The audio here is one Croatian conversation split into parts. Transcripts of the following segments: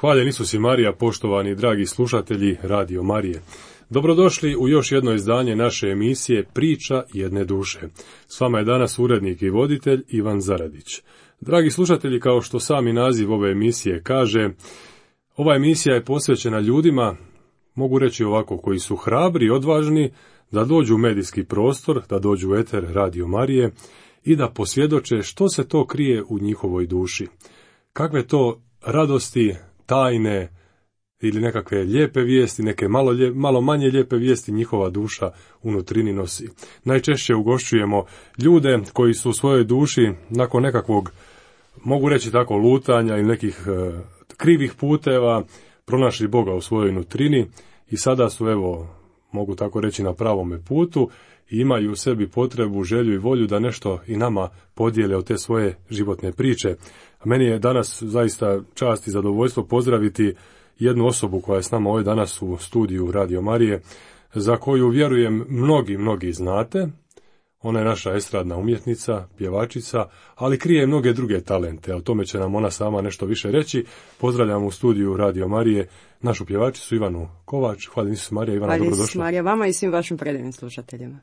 Hvaljen Isus i Marija, poštovani dragi slušatelji Radio Marije. Dobrodošli u još jedno izdanje naše emisije Priča jedne duše. S vama je danas urednik i voditelj Ivan Zaradić. Dragi slušatelji, kao što sami naziv ove emisije kaže, ova emisija je posvećena ljudima, mogu reći ovako, koji su hrabri i odvažni da dođu u medijski prostor, da dođu u eter Radio Marije i da posvjedoče što se to krije u njihovoj duši. Kakve to radosti, tajne ili nekakve lijepe vijesti, neke malo manje lijepe vijesti njihova duša unutrini nosi. Najčešće ugošćujemo ljude koji su u svojoj duši nakon nekakvog, mogu reći tako, lutanja ili nekih krivih puteva pronašli Boga u svojoj nutrini i sada su, evo, mogu tako reći, na pravome putu i imaju u sebi potrebu, želju i volju da nešto i nama podijele od te svoje životne priče. A meni je danas zaista čast i zadovoljstvo pozdraviti jednu osobu koja je s nama ovdje danas u studiju Radio Marije, za koju vjerujem mnogi znate. Ona je naša estradna umjetnica, pjevačica, ali krije mnoge druge talente, a o tome će nam ona sama nešto više reći. Pozdravljam u studiju Radio Marije našu pjevačicu Ivanu Kovač. Hvala Isus Marija. Ivana, dobrodošla. Hvala Isus Marija, vama i svim vašim predivnim slušateljima.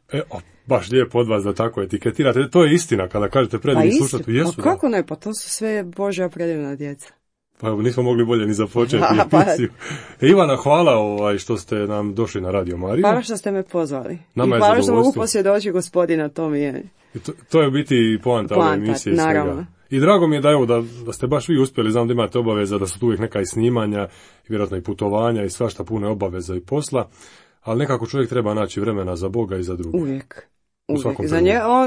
Baš lijepo od vas da tako etiketirate. To je istina kada kažete predivni slušatelji. Jesu, pa kako ne, pa to su sve Božja predivna djeca. Pa nismo mogli bolje ni započeti emisiju. Ivana, hvala što ste nam došli na Radio Mariju. Hvala što ste me pozvali. Nama i hvala što mogu posvjedočiti Gospodina, to mi je. To je u biti poanta ove emisije. Naravno. I drago mi je da ste baš vi uspjeli, znam da imate obaveza, da su tu uvijek neka i snimanja, i vjerojatno i putovanja i svašta pune obaveza i posla, ali nekako čovjek treba naći vremena za Boga i za druge. Uvijek.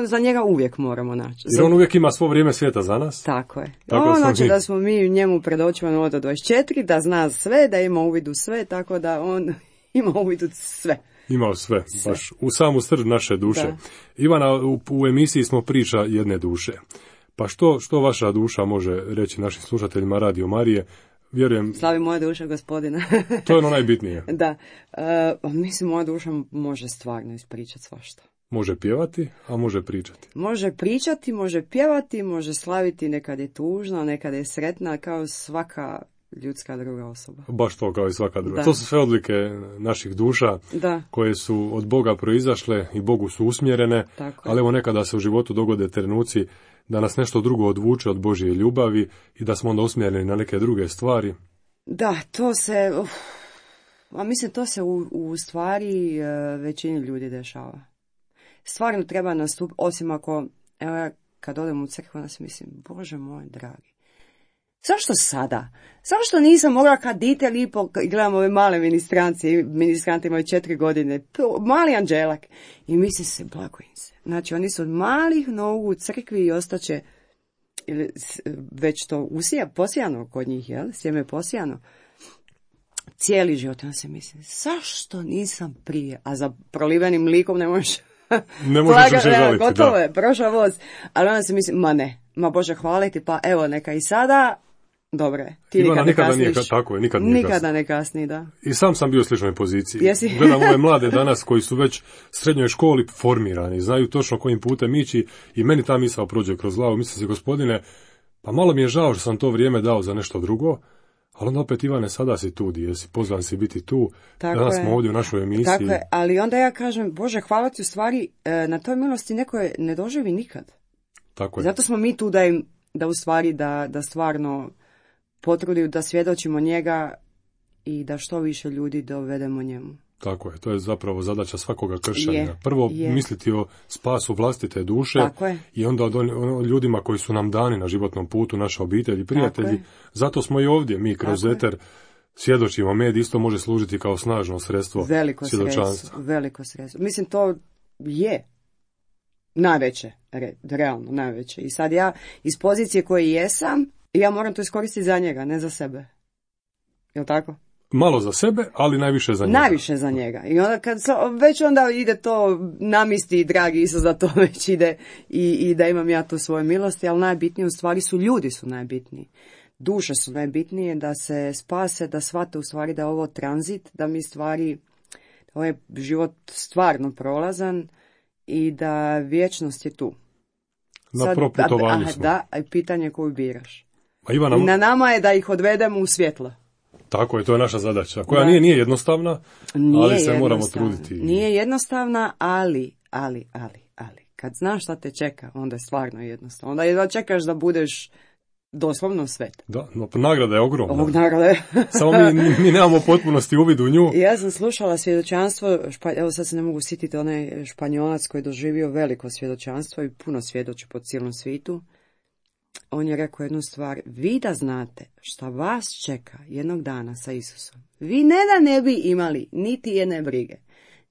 Za njega uvijek moramo naći. Jer on uvijek ima svo vrijeme svijeta za nas. Tako je. Znači da smo mi njemu pred očima od 24, da zna sve, da ima uvid u sve, tako da on ima uvid u sve. Imao sve, baš u samu srž naše duše. Da. Ivana, u emisiji smo Priča jedne duše. Pa što vaša duša može reći našim slušateljima Radio Marije? Vjerujem... Slavi moja duša Gospodina. To je ono najbitnije. Da. Mislim, moja duša može stvarno ispričati svašta. Može pjevati, a može pričati. Može pričati, može pjevati, može slaviti, nekad je tužna, nekad je sretna, kao svaka ljudska druga osoba. Baš to, kao i svaka druga. Da. To su sve odlike naših duša, koje su od Boga proizašle i Bogu su usmjerene, ali evo nekada se u životu dogode trenuci da nas nešto drugo odvuče od Božje ljubavi i da smo onda usmjereni na neke druge stvari. Da, to se, mislim, to se u stvari većini ljudi dešava. Stvarno treba nastupiti, osim ako, evo ja kad odem u crkvu, onda si mislim, Bože moj dragi, zašto sada? Zašto nisam mogla kad dite lipo, gledam ove male ministranti imaju 4 godine, mali anđelak, i mislim se, blago im se. Znači, oni su od malih nogu u crkvi i ostaće, već to posijano kod njih, jel? Sjeme posijano. Cijeli život, onda se mislim, zašto nisam prije? A za prolivenim likom ne možeš više žaliti. Gotovo je, prošao voz. Ali onda se mislim, ma Bože, hvaliti, pa evo, neka i sada, dobro je. Ti Ivana, nikada ne kasniš. Tako je, nikada ne kasni, da. I sam bio u sličnoj poziciji. Jesi? Gledam ove mlade danas koji su već u srednjoj školi formirani, znaju točno kojim putem ići i meni ta misao prođe kroz glavu. Mislim se, Gospodine, pa malo mi je žao što sam to vrijeme dao za nešto drugo, ali onda opet, Ivane, sada si tu, jesi pozvan si biti tu, danas smo ovdje u našoj emisiji. Tako je, ali onda ja kažem, Bože, hvala ti, u stvari, na toj milosti neko je ne doživi nikad. Tako je. Zato smo mi tu da u stvari, da stvarno potrudimo, da svjedočimo njega i da što više ljudi dovedemo njemu. Tako je, to je zapravo zadaća svakoga kršćanina. Prvo misliti o spasu vlastite duše i onda o ljudima koji su nam dani na životnom putu, naša obitelj i prijatelji. Zato smo i ovdje, mi kroz eter svjedočimo. Medij isto može služiti kao snažno sredstvo svjedočanstva. Veliko sredstvo. Mislim, to je najveće, realno najveće. I sad ja iz pozicije koje jesam, ja moram to iskoristiti za njega, ne za sebe. Jel' tako? Malo za sebe, ali najviše za njega. Najviše za njega. I onda već onda ide to namisti, dragi Isus, da to već ide i da imam ja tu svoje milosti, ali najbitnije u stvari su ljudi su najbitniji. Duše su najbitnije, da se spase, da shvate u stvari da je ovo tranzit, da mi stvari, ovo je život stvarno prolazan i da vječnost je tu. Na proputovanju smo. Da, a pitanje koju biraš. A Ivana... Na nama je da ih odvedemo u svjetlo. Tako je, to je naša zadaća, koja nije jednostavna, ali se moramo truditi. Nije jednostavna, ali, kad znaš šta te čeka, onda je stvarno jednostavno. Onda jedva čekaš da budeš doslovno svet. Da, no, nagrada je ogromna. Ovog nagrada je. Samo mi nemamo potpunosti uvid u nju. Ja sam slušala svjedočanstvo, evo sad se ne mogu sjetiti, onaj Španjolac koji je doživio veliko svjedočanstvo i puno svjedoči po cijelom svijetu. On je rekao jednu stvar, vi da znate šta vas čeka jednog dana sa Isusom, vi ne da ne bi imali niti jedne brige,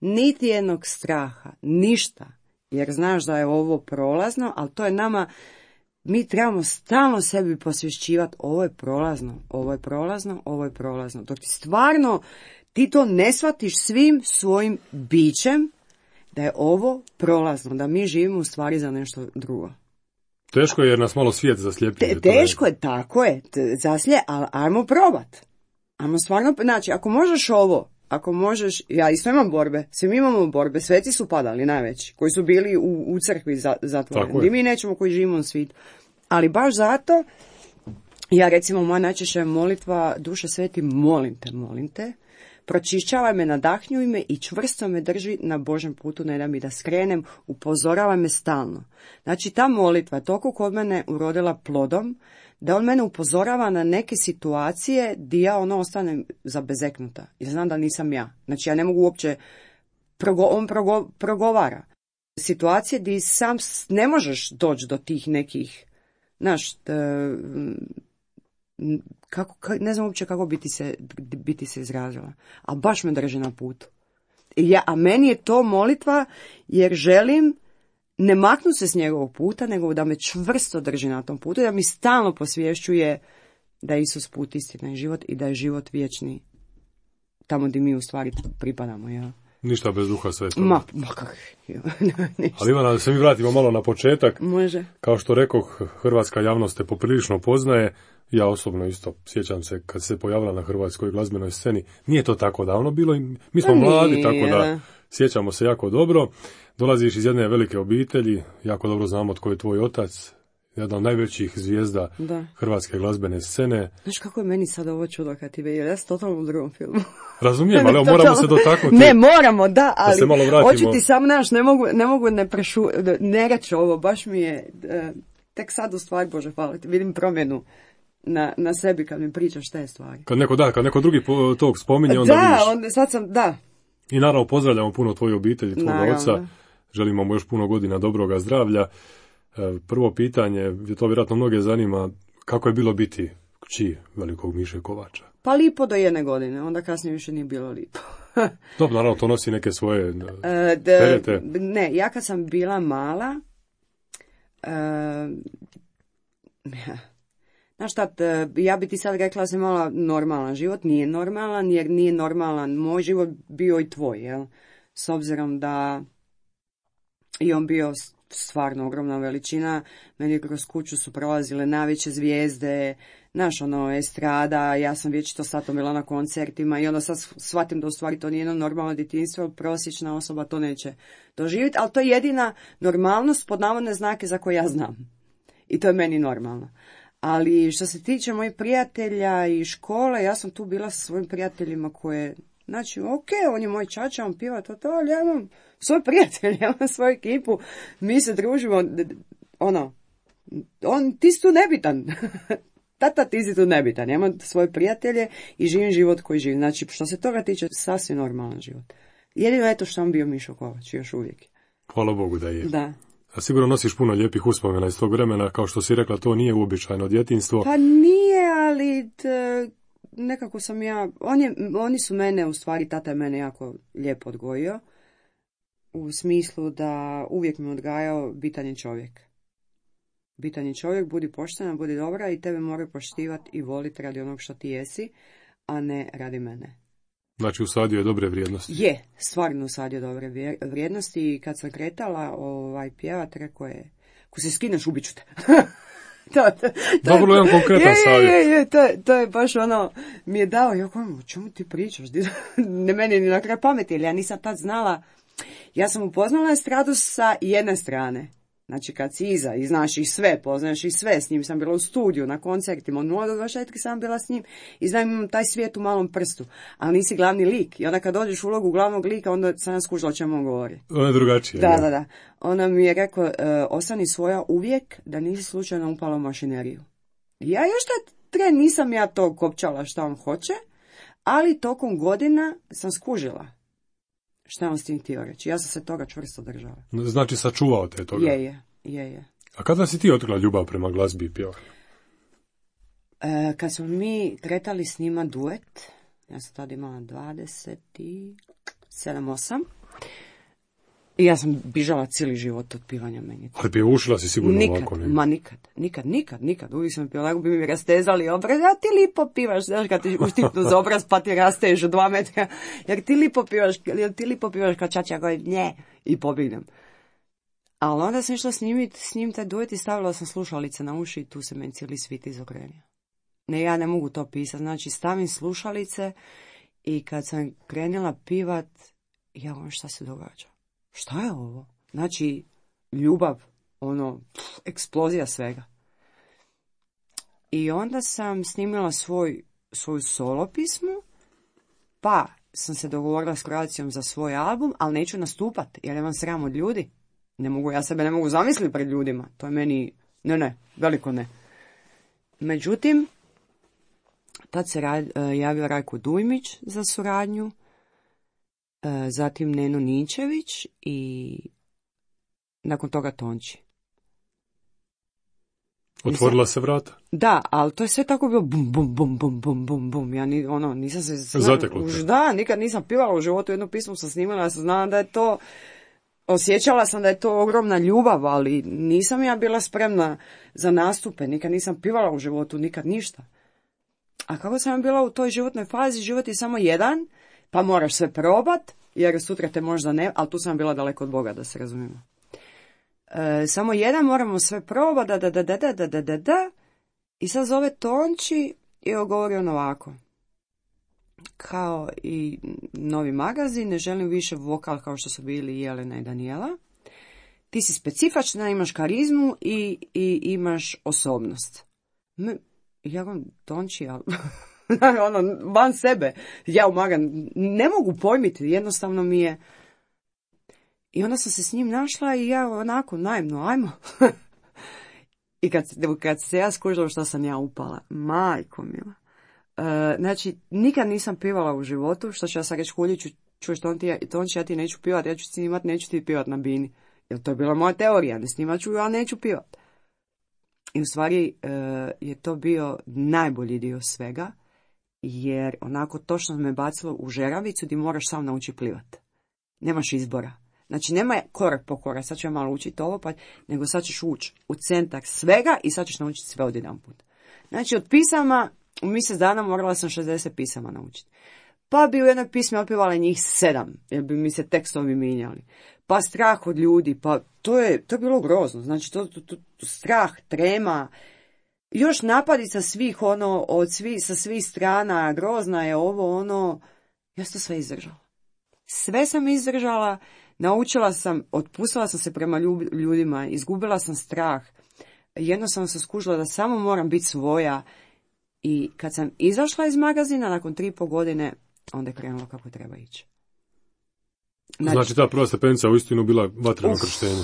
niti jednog straha, ništa, jer znaš da je ovo prolazno, ali to je nama, mi trebamo stalno sebi posvješćivati, ovo je prolazno, ovo je prolazno, ovo je prolazno. Dok ti stvarno, ti to ne shvatiš svim svojim bićem, da je ovo prolazno, da mi živimo u stvari za nešto drugo. Teško je jer nas malo svijet zaslijepljuje. Teško je, tako je, ali ajmo probat. Ajmo stvarno, znači, ako možeš ovo, ako možeš, ja isto imam borbe, svi mi imamo borbe, sveci su padali najveći, koji su bili u crkvi zatvoreni, i mi nećemo koji živimo u svijetu. Ali baš zato, ja recimo, moja najčešća molitva, Duše sveti, molim te, pročišćavaj me, nadahnjuj me i čvrsto me drži na Božem putu, ne da mi da skrenem, upozoravaj me stalno. Znači, ta molitva je toliko kod mene urodila plodom, da on mene upozorava na neke situacije gdje ja ostanem zabezeknuta. Jer znam da nisam ja. Znači, ja ne mogu uopće, on progovara. Situacije gdje sam ne možeš doći do tih nekih, znaš, ne znam uopće kako biti se izrazila, a baš me drži na putu. A meni je to molitva jer želim ne maknu se s njegovog puta, nego da me čvrsto drži na tom putu, da mi stalno posvješćuje da je Isus put, istina i život i da je život vječni tamo gdje mi u stvari pripadamo. Ja. Ništa bez Duha Svetoga. Ma kako? Ali Ivana, da se mi vratimo malo na početak. Može. Kao što rekoh, hrvatska javnost te poprilično poznaje. Ja osobno isto sjećam se kad se pojavila na hrvatskoj glazbenoj sceni. Nije to tako davno bilo, mi smo mladi, tako da sjećamo se jako dobro. Dolaziš iz jedne velike obitelji, jako dobro znamo tko je tvoj otac, jedna od najvećih zvijezda hrvatske glazbene scene. Znaš kako je meni sad ovo čudo kad ti vidio, ja sam totalno u drugom filmu. Razumijem, ali moramo se dotaknuti. Ne, moramo, da se malo vratimo. Hoću ti sam, ne mogu ne reći ovo, baš mi je, tek sad u stvari, Bože, hvala ti, vidim promjenu na sebi kad mi pričaš te stvari. Kad neko drugi tog spominje, onda vidiš. Sad sam. I naravno pozdravljamo puno tvoju obitelj, tvoga oca, želimo mu još puno godina dobroga zdravlja. Prvo pitanje, to vjerojatno mnoge zanima, kako je bilo biti kći velikog Miše Kovača? Pa lipo do 1 godine, onda kasnije više nije bilo lipo. Dobro, naravno, to nosi neke svoje terete. Ne, ja kad sam bila mala, znaš šta, ja bi ti sad rekla da sam imala normalan život, nije normalan, jer nije normalan moj život bio i tvoj, jel? S obzirom da i on bio stvarno ogromna veličina, meni kroz kuću su prolazile najveće zvijezde, znaš, estrada, ja sam vječito satom bila na koncertima i onda sad shvatim da u stvari to nije jedno normalno djetinjstvo, prosječna osoba to neće doživjeti, ali to je jedina normalnost pod navodne znake za koje ja znam. I to je meni normalno. Ali što se tiče mojih prijatelja i škole, ja sam tu bila sa svojim prijateljima koje, znači, on je moj čača, on piva to, ali ja imam svoj prijatelj, ja imam svoju ekipu, mi se družimo, ti si tu nebitan. Tata, ti si tu nebitan, ja imam svoje prijatelje i živim život koji živim. Znači, što se toga tiče, sasvim normalan život. Jedino je to što sam bio Mišo Kovač, još uvijek. Hvala Bogu da je. Da. A sigurno nosiš puno lijepih uspomena iz tog vremena, kao što si rekla, to nije uobičajeno djetinjstvo. Pa nije, ali nekako sam ja, oni su mene, u stvari, tata je mene jako lijepo odgojio, u smislu da uvijek me odgajao bitan je čovjek. Bitan je čovjek, budi poštena, budi dobra i tebe moraju poštivati i voliti radi onog što ti jesi, a ne radi mene. Znači usadio je dobre vrijednosti. Je, stvarno usadio dobre vrijednosti i kad sam kretala pjevat, rekao je, ko se skineš, ubit ću te. Dobro, jedan konkretan savjet. To je baš mi je dao, ja kao, o čemu ti pričaš? Ne meni ni na kraj pameti, jer ja nisam tad znala, ja sam upoznala estradu sa jedne strane. Znači kad si iza i znaš ih sve, poznaš ih sve, s njim sam bila u studiju, na koncertima, od 0 do 24 sam bila s njim i znam imam taj svijet u malom prstu, ali nisi glavni lik. I onda kad dođeš u ulogu glavnog lika, onda sam ja skužila o čemu on govori. Ono je drugačije. Da. Ona mi je rekao, ostani svoja uvijek da nisi slučajno upala u mašineriju. Ja još tad tren nisam ja to kopčala šta on hoće, ali tokom godina sam skužila šta on s tim htio reći. Ja sam se toga čvrsto držala. Znači sačuvao te toga. Je. A kada si ti otkrila ljubav prema glazbi i pjevanju? Kad smo mi kretali s njima duet, ja sam tada imala 27-8, i ja sam bižala cijeli život od pivanja meni. Ali pjevušila si sigurno ovako, ne? Nikad. Uvijek sam pjevala, bi mi rastezali obraz, a ti lipo pivaš, znaš kad ti uštipnu za obraz pa ti rasteš u 2 metra, jer ti lipo pivaš kad čača goji, nje, i pobjegnem. Ali onda sam išla s njim taj duet i stavila sam slušalice na uši i tu se meni cijeli svit izokrenio. Ne, ja ne mogu to pisati, znači stavim slušalice i kad sam krenula pivat, ja volim šta se događa. Šta je ovo? Znači, ljubav, eksplozija svega. I onda sam snimila svoju solo pismu, pa sam se dogovorila s Croacijom za svoj album, ali neću nastupat, jer imam sram od ljudi. Ja sebe ne mogu zamisliti pred ljudima. To je meni, veliko ne. Međutim, tad se javio Rajko Dujmić za suradnju, zatim Neno Ninčević i nakon toga Tonči. Otvorila se vrata? Da, ali to je sve tako bilo bum, bum, bum, bum, bum, bum, bum. Ja nisam se... Zateklo te? Da, nikad nisam pivala u životu, jednu pismu sam snimala, ja sam znala da je to... Osjećala sam da je to ogromna ljubav, ali nisam ja bila spremna za nastupe, nikad nisam pivala u životu, nikad ništa. A kako sam bila u toj životnoj fazi, život je samo jedan, pa moraš sve probat, jer sutra te možda ne, ali tu sam bila daleko od Boga, da se razumijemo. Samo jedan, moramo sve probat, da, i sad zove Tonči i govori on ovako. Kao i novi magazin, ne želim više vokal kao što su bili Jelena i Danijela. Ti si specifična, imaš karizmu i imaš osobnost. Ja vam Tonči, ali van sebe, ja u magan, ne mogu pojmiti, jednostavno mi je. I onda sam se s njim našla i ja onako naivno, ajmo. I kad se ja skužila što sam ja upala, majko mila. Znači, nikad nisam pivala u životu, što ću ja sad reći Huljiću, čuješ Tonči, ja ti neću pivat, ja ću snimat, neću ti pivat na bini. Jer to je bila moja teorija, ne snimat ću, ja neću pivat. I u stvari je to bio najbolji dio svega, jer onako točno me bacilo u žeravicu gdje moraš sam naučiti plivat. Nemaš izbora. Znači, nema korak po korak, sad ću ja malo učiti ovo, nego sad ćeš ući u centar svega i sad ćeš naučiti sve odjedanput. Znači, od pisama, u mjesec dana morala sam 60 pisama naučiti. Pa bi u jednoj pismi otpjevala njih 7, jer bi mi se tekstovi mijenjali. Pa strah od ljudi, pa to je bilo grozno. Znači, to strah, trema, još napadica svih, sa svih strana, grozna je ovo, ja sam to sve izdržala. Sve sam izdržala, naučila sam, otpustila sam se prema ljudima, izgubila sam strah. Jednostavno sam skužila da samo moram biti svoja. I kad sam izašla iz magazina, nakon 3,5 godine, onda je krenulo kako treba ići. Znači ta prva stepenica u istinu bila vatreno krštenje.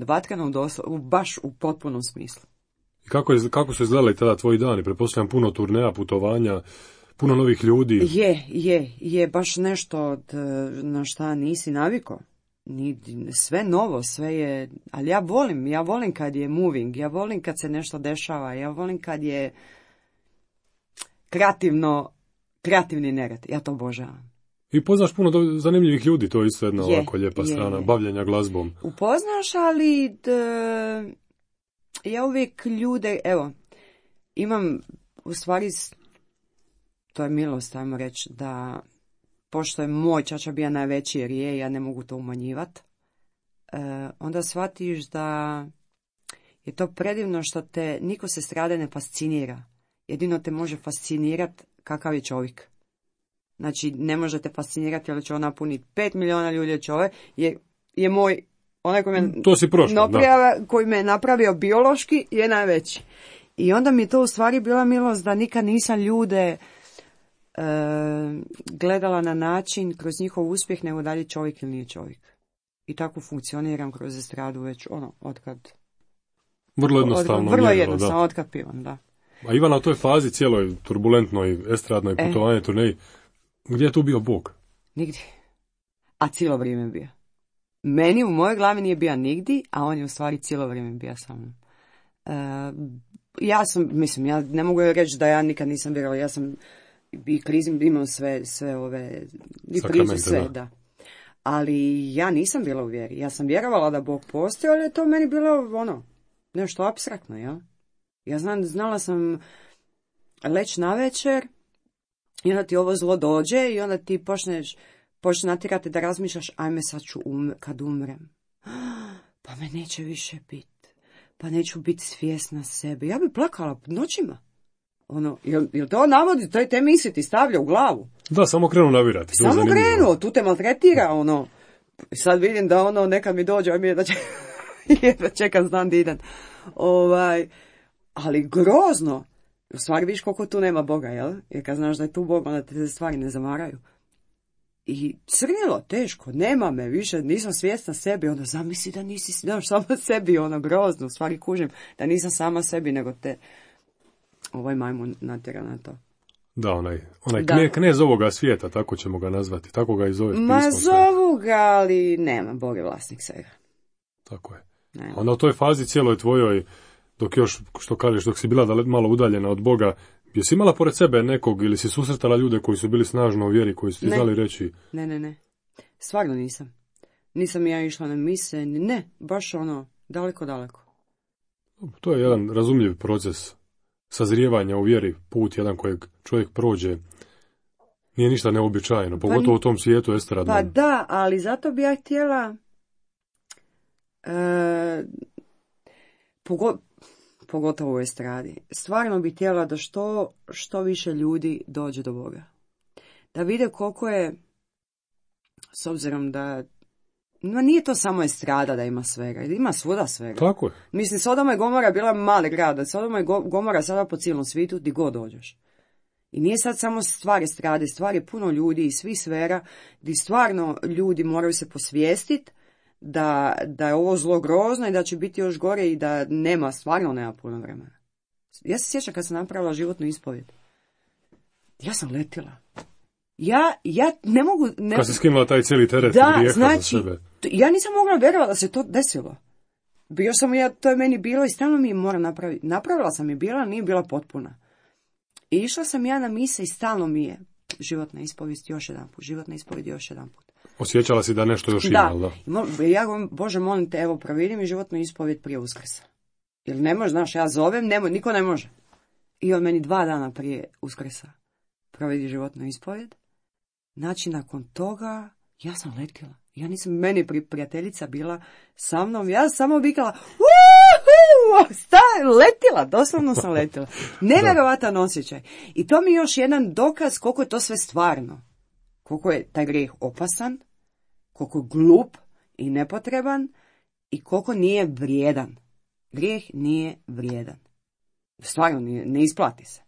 Vatreno baš u potpunom smislu. I kako su izgledali tada tvoji dani? Pretpostavljam puno turneja, putovanja, puno novih ljudi. Je baš nešto na šta nisi navikao. Sve novo, sve je, ali ja volim kad je moving, ja volim kad se nešto dešava, ja volim kad je kreativni nered, ja to obožavam. I poznaš puno zanimljivih ljudi, to je isto jedna ovako lijepa strana, bavljenja glazbom. Upoznaš, ali ja uvijek ljude, imam, u stvari, to je milost, ajmo reći, da pošto je moj čača bio najveći jer ja ne mogu to umanjivati, onda shvatiš da je to predivno što te niko se strade ne fascinira. Jedino te može fascinirati kakav je čovjek. Znači, ne može te fascinirati ali će on napuniti 5 milijuna ljudi čovjek, je moj Onaj koji me, to si prošla, koji me napravio biološki je najveći. I onda mi to u stvari bila milost da nikad nisam ljude gledala na način kroz njihov uspjeh, nego da li je čovjek ili nije čovjek. I tako funkcioniram kroz estradu već otkad. Vrlo jednostavno. Vrlo jednostavno, otkad pivam, da. A Ivana, u toj fazi cijeloj turbulentnoj estradnoj putovanje turneji, gdje je tu bio Bog? Nigdje. A cijelo vrijeme bio. Meni u mojoj glavi nije bio nigdje, a on je u stvari cijelo vrijeme bio sa mnom. Ja ne mogu reći da ja nikad nisam vjerovala, ja sam i krizim, imam sve ove, i priče, sve, da. Ali ja nisam bila u vjeri, ja sam vjerovala da Bog postoji, ali je to meni bilo nešto apstraktno, ja. Ja znala sam leći navečer i onda ti ovo zlo dođe i onda ti počneš natjerati da razmišljaš, ajme sad ću kad umrem. Pa me neće više biti. Pa neću biti svjesna sebe. Ja bi plakala noćima. Jel to navodi, te misli ti stavlja u glavu? Da, samo krenu navirati. Samo krenu, tu te maltretira, Sad vidim da nekad mi dođe, a mi je da čekam znam da idem. Ali grozno. U stvari viš koliko tu nema Boga, jel? Jer kad znaš da je tu Bog, onda te stvari ne zamaraju. I crnilo, teško, nema me više, nisam svjesna sebi, zamisli da nisi sama sebi, grozno, u stvari kužim, da nisam sama sebi, nego te ovaj majmun natjera na to. Da, onaj knez ovoga svijeta, tako ćemo ga nazvati, tako ga i zove pismo. Zovu ga, ali nema, Bog je vlasnik svega. Tako je. Onda u toj fazi cijeloj tvojoj, dok još, što kažeš, dok si bila malo udaljena od Boga, jesi imala pored sebe nekog ili si susretala ljude koji su bili snažno u vjeri, koji su ti znali reći? Ne. Stvarno nisam. Nisam ja išla na mise, ne, baš daleko. To je jedan razumljiv proces sazrijevanja u vjeri, put jedan kojeg čovjek prođe. Nije ništa neobičajeno, pogotovo u tom svijetu estradnom. Pa da, ali zato bi ja htjela pogotovo u estradi. Stvarno bi htjela da što više ljudi dođe do Boga. Da vide koliko je, s obzirom da nije to samo estrada da ima svega, ima svuda svega. Tako je. Mislim, Sodoma i Gomora bila mali grad, Sodoma i Gomora sada po cijelom svijetu, di god dođeš. I nije sad samo stvar estrade, stvar je puno ljudi iz svih sfera, gdje stvarno ljudi moraju se posvijestiti da je ovo zlo grozno i da će biti još gore i da stvarno nema puno vremena. Ja se sjećam kad sam napravila životnu ispovijed. Ja sam letila. Ja ne mogu... Kad si skinula taj cijeli teret grijeha za sebe. Ja nisam mogla vjerovati da se to desilo. Bio sam to je meni bilo i stalno mi je mora napraviti. Napravila sam je bila, nije bila potpuna. I išla sam ja na mise i stalno mi je životna ispovijed još jedan put. Osjećala si da nešto još ima, da? Ja Bože, molim te, evo, provedi mi životnu ispovijed prije Uskrsa. Jer ne može, znaš, ja zovem, niko ne može. I on meni 2 dana prije Uskrsa provedi životnu ispovijed. Znači, nakon toga, ja sam letila. Ja nisam, meni prijateljica bila sa mnom, ja samo vikala, letila, doslovno sam letila. Nevjerovatan osjećaj. I to mi je još jedan dokaz koliko je to sve stvarno. Koliko je taj grijeh opasan, koliko je glup i nepotreban i koliko nije vrijedan. Grijeh nije vrijedan. Stvarno ne isplati se.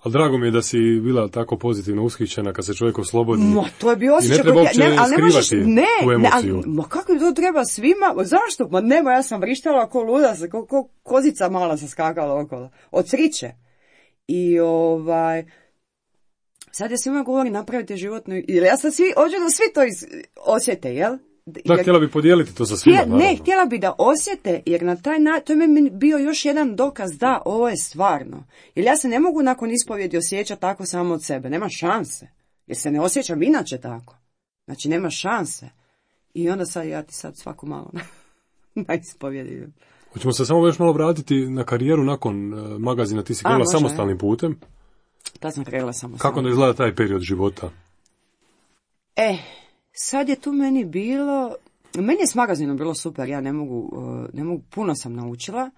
Ali drago mi je da si bila tako pozitivno ushićena kad se čovjek oslobodi. To je bio osjećaj. I ne treba uopće skrivati tu emociju. Kako to treba svima? Zašto? Ja sam vrištala ko luda, ko kozica mala se skakala okolo. Od sriće. I sad ja svima govorim napravite životnu... Jer ja sad hoću da svi to osjete, jel? Da, htjela bi podijeliti to sa svima, naravno. Ne, htjela bi da osjete, jer na taj način, to je mi bio još jedan dokaz da ovo je stvarno. Jer ja se ne mogu nakon ispovjedi osjećati tako samo od sebe, nema šanse. Jer se ne osjećam inače tako. Znači, nema šanse. I onda ja ti svako malo na ispovjedi. Hoćemo se samo još malo vratiti na karijeru nakon magazina, ti si krenula samostalnim putem. Da sam krenula samostalnim. Kako onda izgleda taj period života? Sad je tu meni je s magazinom bilo super, ja ne mogu, puno sam naučila,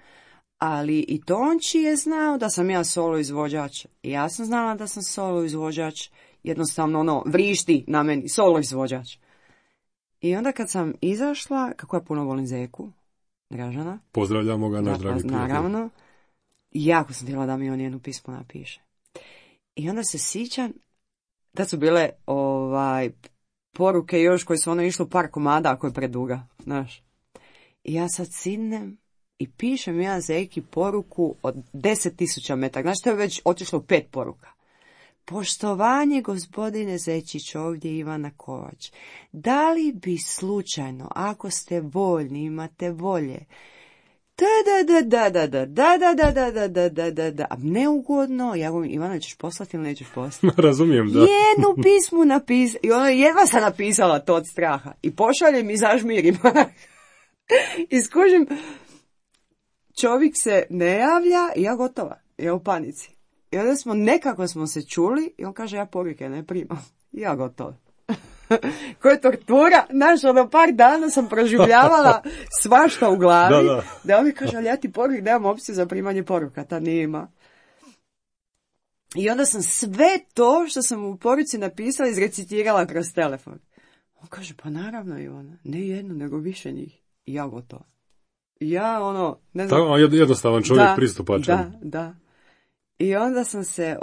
ali i Tonči je znao da sam ja solo izvođač. Ja sam znala da sam solo izvođač, jednostavno vrišti na meni, solo izvođač. I onda kad sam izašla, kako ja puno volim Zeku, Dražana. Pozdravljamo ga, naš dragi prijatelj. Naravno. Jako sam htjela da mi on jedno pismo napiše. I onda se sjećam, da su bile poruke još koje su ono išlo par komada ako je preduga, znaš. I ja sad sidnem i pišem ja Zeki poruku od 10.000 metara. Znaš, to je već otišlo 5 poruka. Poštovanje, gospodine Zečić, ovdje Ivana Kovač. Da li bi slučajno, ako ste voljni, imate volje, da, neugodno, ja govorim, Ivana, ćeš poslati ili nećeš poslati? Razumijem, da. Jednu pismu napisala, i ono jedva sam napisala to od straha, i pošaljem i zažmirim. I skužim, čovjek se ne javlja, i ja gotova, ja u panici. I onda nekako smo se čuli, i on kaže, ja poruke ne primam. I ja gotova. Koja tortura, znaš, ono par dana sam proživljavala svašta u glavi, da on mi kaže, ali ja ti poruke, nemam opciju za primanje poruka, ta nima. I onda sam sve to što sam u poruci napisala izrecitirala kroz telefon. On kaže, pa naravno Ivana, ne jednu, nego više njih. I ja gotovo. Ja ne znam. Tako, jednostavan čovjek, pristupačan. Da. I onda sam se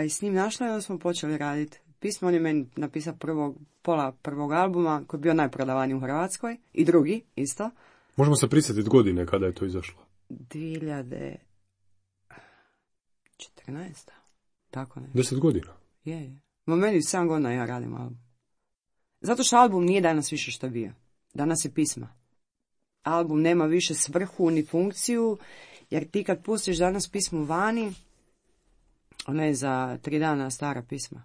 s njim našla i onda smo počeli raditi. Pismo on je meni napisao pola prvog albuma koji je bio najprodavaniji u Hrvatskoj i drugi isto. Možemo se prisjetiti godine kada je to izašlo? 2014. Tako ne. 10 godina? Je. Ma meni 7 godina ja radim album. Zato što album nije danas više što bio. Danas je pisma. Album nema više svrhu ni funkciju, jer ti kad pustiš danas pismu vani, ona je za 3 dana stara pisma.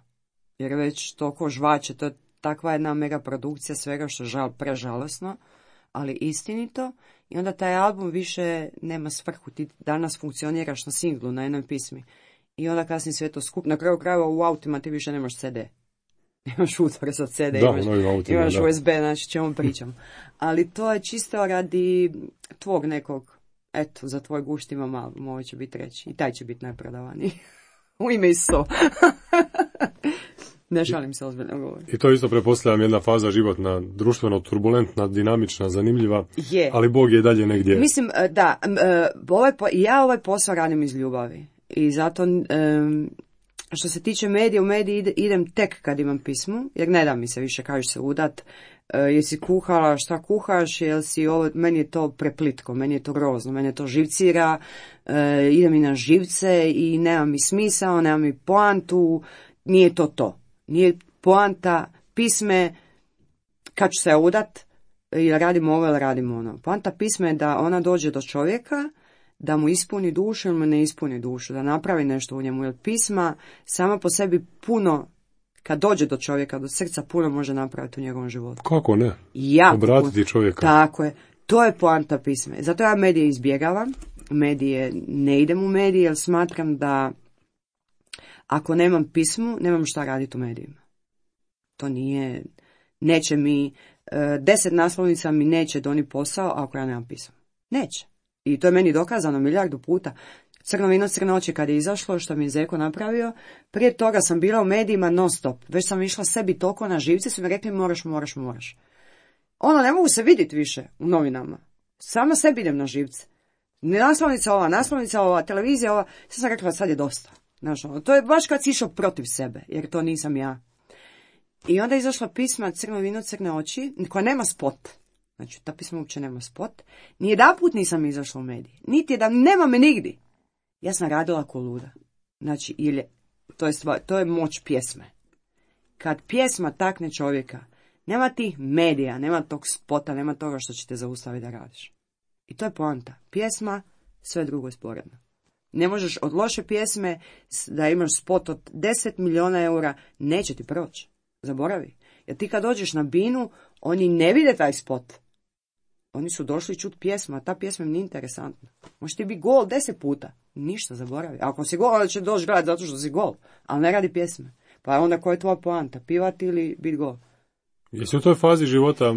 Jer već toliko žvače, to je takva jedna mega produkcija svega što prežalosno, ali istinito. I onda taj album više nema svrhu, ti danas funkcioniraš na singlu, na jednoj pismi. I onda kasnije sve to skup. Na kraju krajeva u autima ti više nemaš CD. Imaš utvore za CD, imaš USB, znači čemu pričam. Ali to je čisto radi tvog nekog, eto, za tvoj gušt imam album, ovo će biti treći. I taj će biti najprodavaniji. U ime Iso. Ne šalim se, ozbiljno govorim. I to isto pretpostavljam jedna faza životna, društveno turbulentna, dinamična, zanimljiva, ali Bog je dalje negdje. Mislim, da, ja ovaj posao radim iz ljubavi. I zato, što se tiče medija, u mediji idem tek kad imam pismu, jer ne da mi se više, kažeš se udat, jesi kuhala, šta kuhaš, meni je to preplitko, meni je to grozno, meni je to živcira, idem i na živce i nema mi smisao, nema mi poantu, nije to. Nije poanta pisme kad ću se udat, ili radimo ovo ili radimo ono. Poanta pisme je da ona dođe do čovjeka, da mu ispuni dušu ili mu ne ispuni dušu, da napravi nešto u njemu. Jer pisma sama po sebi puno, kad dođe do čovjeka, do srca, puno može napraviti u njegovom životu. Kako ne? Obratiti čovjeka. Tako je. To je poanta pisme. Zato ja medije izbjegavam. Ne idem u medije jer smatram da ako nemam pismu, nemam šta raditi u medijima. To neće mi, 10 naslovnica mi neće donijeti posao ako ja nemam pismu. Neće. I to je meni dokazano 1000 puta. Crno vino, crne oči kad je izašlo, što mi je Zeko napravio, prije toga sam bila u medijima non stop. Već sam išla sebi toliko na živce, su mi rekli moraš. Ne mogu se vidjeti više u novinama. Sama sebi idem na živce. Naslovnica ova, televizija ova, sam rekla sad je dosta. Znaš, to je baš kad si išao protiv sebe, jer to nisam ja. I onda je izašla pisma Crno vino, crne oči, koja nema spot. Znači, ta pisma uopće nema spot. Nijedanput nisam izašla u mediji. Niti jedan, nema me nigdje. Ja sam radila ko luda. Znači, to je moć pjesme. Kad pjesma takne čovjeka, nema tih medija, nema tog spota, nema toga što će te zaustaviti da radiš. I to je poanta. Pjesma, sve drugo je sporedno. Ne možeš od loše pjesme da imaš spot od 10 milijuna eura, neće ti proći. Zaboravi. Jer ti kad dođeš na binu, oni ne vide taj spot. Oni su došli čut pjesmu, a ta pjesma im nije interesantna. Može ti biti gol 10 puta. Ništa, zaboravi. A ako si gol, onda će doći gledati zato što si gol. Ali ne radi pjesme. Pa onda koja je tvoja poanta? Pivati ili biti gol? Jesi u toj fazi života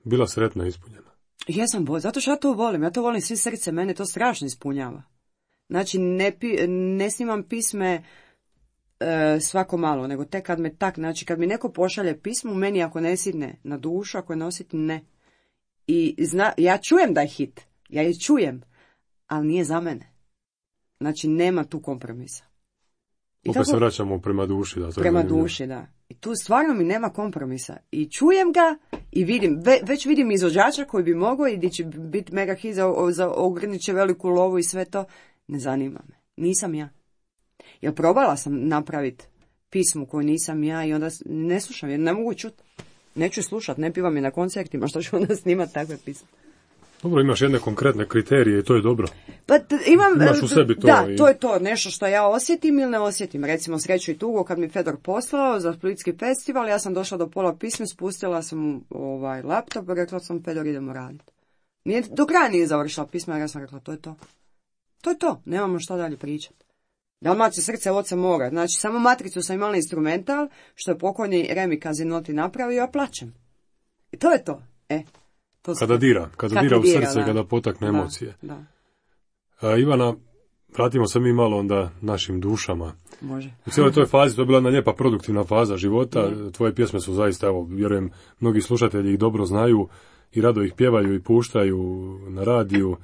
bila sretna i ispunjena? Jesam, zato što ja to volim. Ja to volim svim srce. Mene to strašno ispunjava. Znači, ne snimam pisme svako malo, nego tek kad me znači kad mi neko pošalje pismo, meni ako ne sidne na dušu, ako je nositi, ne. I ja čujem da je hit, ja je čujem, ali nije za mene. Znači, nema tu kompromisa. Opet se vraćamo prema duši. Da, prema duši, da. I tu stvarno mi nema kompromisa. I čujem ga i vidim, već vidim izvođača koji bi mogao i gdje će biti mega hit za ogrnit će veliku lovu i sve to. Ne zanima me. Nisam ja. Jer probala sam napraviti pismu koju nisam ja i onda ne slušam jer ne mogu čuti. Neću slušati, ne pivam je na koncertima, što ću onda snimati takve pisme. Dobro, imaš jedne konkretne kriterije i to je dobro. Pa imaš u sebi to. Da, to je to, nešto što ja osjetim ili ne osjetim. Recimo, Sreću i tugu, kad mi Fedor poslao za Splitski festival, ja sam došla do pola pisma, spustila sam laptop i rekla sam, Fedor, idemo raditi. Do kraja nije završila pisma, ja sam rekla, to je to. To je to, nemamo šta dalje pričati. Dalmacija srce oca mora. Znači, samo matricu sam imala instrumental, što je pokojni Remi Kazinoti napravio, ja plačem. I to je to. Kada dira u srce, da. Kada potakne emocije. Da. Ivana, vratimo se mi malo onda našim dušama. Može. U cijeloj toj fazi, to je bila jedna lijepa produktivna faza života. Tvoje pjesme su zaista, evo, vjerujem, mnogi slušatelji ih dobro znaju i rado ih pjevaju i puštaju na radiju.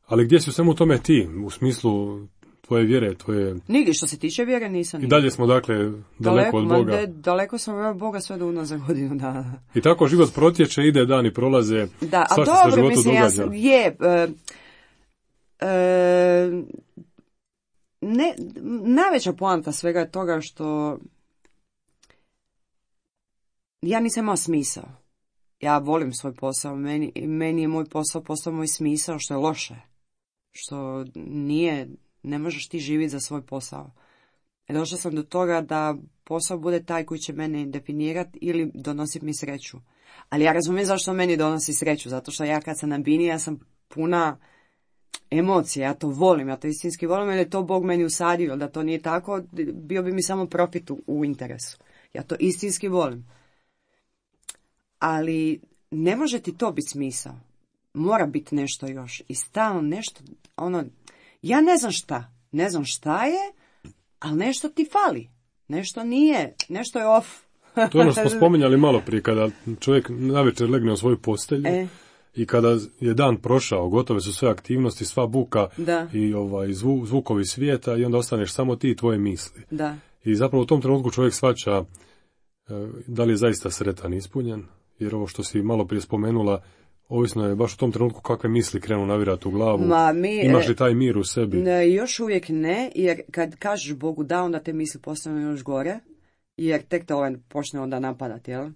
Ali gdje si u svemu tome ti, u smislu tvoje vjere, tvoje... Nigdje što se tiče vjere nisam. I dalje smo, dakle, daleko od Boga. Daleko sam od Boga sve do unazad godinu dana. I tako život protječe, ide, dani prolaze, da, a svašta se životu događa. Najveća poanta svega je toga što ja nisam imao smisao. Ja volim svoj posao, meni je moj posao postao moj smisao, što je loše. Što ne možeš ti živjeti za svoj posao. Došla sam do toga da posao bude taj koji će mene definirati ili donositi mi sreću. Ali ja razumijem zašto meni donosi sreću, zato što ja kad sam na bini, ja sam puna emocija, ja to volim, ja to istinski volim, jer je to Bog meni usadio, da to nije tako, bio bi mi samo profit u interesu. Ja to istinski volim. Ali ne može ti to biti smisao. Mora biti nešto još. I stalno nešto, ja ne znam šta je, ali nešto ti fali. Nešto nije, nešto je off. To je ono što smo spominjali malo prije, kada čovjek navečer legne u svoju postelju i kada je dan prošao, gotove su sve aktivnosti, sva buka i zvukovi svijeta i onda ostaneš samo ti i tvoje misli. Da. I zapravo u tom trenutku čovjek shvaća da li je zaista sretan i ispunjen, jer ovo što si malo prije spomenula, ovisno je baš u tom trenutku kakve misli krenu navirati u glavu. Imaš li taj mir u sebi? Ne, još uvijek ne, jer kad kažeš Bogu da, onda te misli postanu još gore, jer tek te počne onda napadati, jel?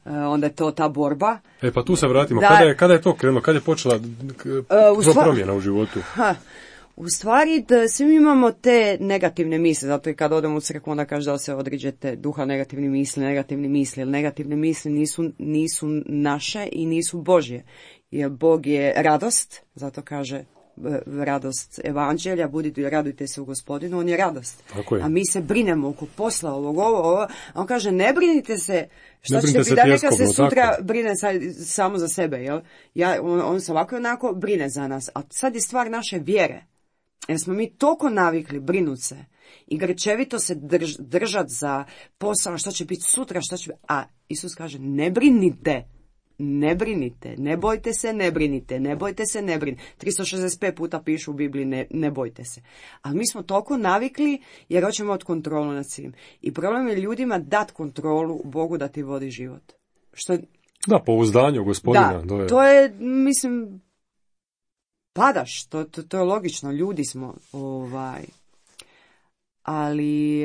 Onda je to ta borba. Pa tu se vratimo. Kada je to krenulo? Kada je počela promjena u životu? U stvari, da svi imamo te negativne misli, zato i kad odemo u crkvu, onda kaže da se odriđete duha negativnih misli, jer negativne misli nisu naše i nisu Božje. Jer Bog je radost, zato kaže radost evanđelja, radujte se u Gospodinu, on je radost. A mi se brinemo oko posla ovo, a on kaže ne brinite se, šta ćete biti, da neka se sutra brine samo za sebe, jel? On se ovako onako brine za nas, a sad je stvar naše vjere. Jer smo mi toliko navikli brinuti se i grčevito se držati za posao, što će biti sutra, a Isus kaže ne brinite, ne bojte se, ne brinite, 365 puta pišu u Bibliji ne bojte se. Ali mi smo toliko navikli jer hoćemo od kontrolu nad svim. I problem je ljudima dati kontrolu Bogu da ti vodi život. Da, pouzdanje u Gospodina. Da, to je, mislim, padaš, to je logično, ljudi smo, ali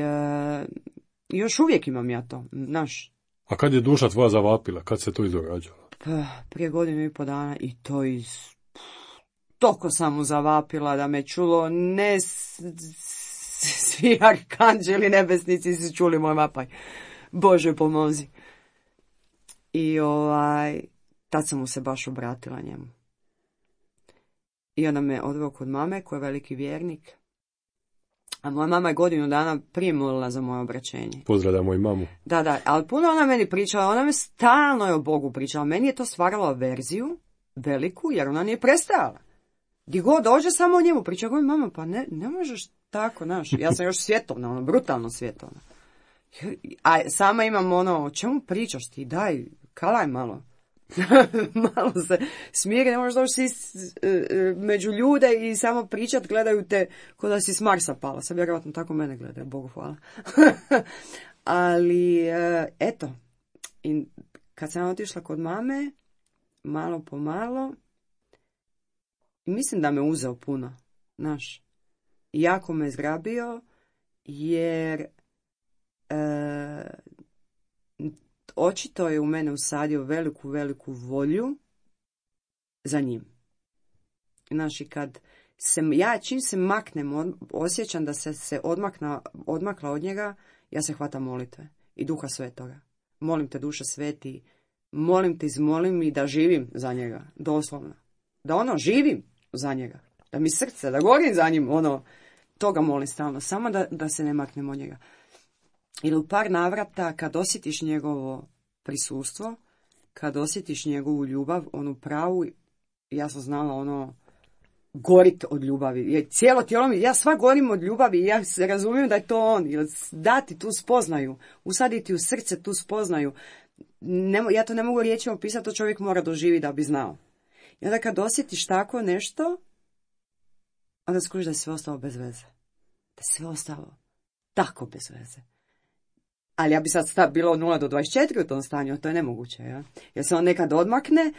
još uvijek imam ja to, znaš. A kad je duša tvoja zavapila, kad se to izdogađalo? Prije 1.5 dana i to toliko sam mu zavapila da me čulo, ne svi arkanđeli nebesnici su čuli moj vapaj. Bože pomozi. I tad sam mu se baš obratila njemu. I onda me odveo kod mame, koja je veliki vjernik. A moja mama je 1 dana prije molila za moje obraćenje. Pozdravljam moju mamu. Da, ali puno ona meni pričala, ona me stalno je o Bogu pričala. Meni je to stvaralo averziju veliku, jer ona nije prestajala. Gdje god dođe, samo o njemu priča. Govorim, mama, pa ne možeš tako, znaš, ja sam još svjetovna, ono, brutalno svjetovna. A sama imam ono, o čemu pričaš ti, daj, kalaj malo. Malo se smiri, ne možeš doći među ljude i samo pričat, gledaju te ko da si s Marsa pala. Sad vjerojatno tako mene gledaju, Bogu hvala. Ali, eto, i kad sam otišla kod mame, malo po malo, mislim da me uzeo puno, znaš. Jako me zgrabio, jer očito je u mene usadio veliku volju za njim. Znaš, i kad čim se maknem, osjećam da se odmakla od njega, ja se hvatam molitve i Duha Svetoga. Molim te, Duša Sveti, molim te, izmolim mi da živim za njega, doslovno. Da živim za njega, da mi srce, da gorim za njim, toga molim stalno, samo da se ne maknem od njega. Ili u par navrata, kad osjetiš njegovo prisustvo, kad osjetiš njegovu ljubav, onu pravu, ja sam znala gorit od ljubavi. Cijelo tijelo mi, ja sva gorim od ljubavi, ja se razumijem da je to on. Dati tu spoznaju, usaditi u srce tu spoznaju. Ja to ne mogu riječima opisati, to čovjek mora doživjeti da bi znao. I onda kad osjetiš tako nešto, onda skužiš da je sve ostalo bez veze. Da je sve ostalo tako bez veze. Ali ja bi sad bilo od 0 do 24 u tom stanju, a to je nemoguće. Ja? Jer se on nekad odmakne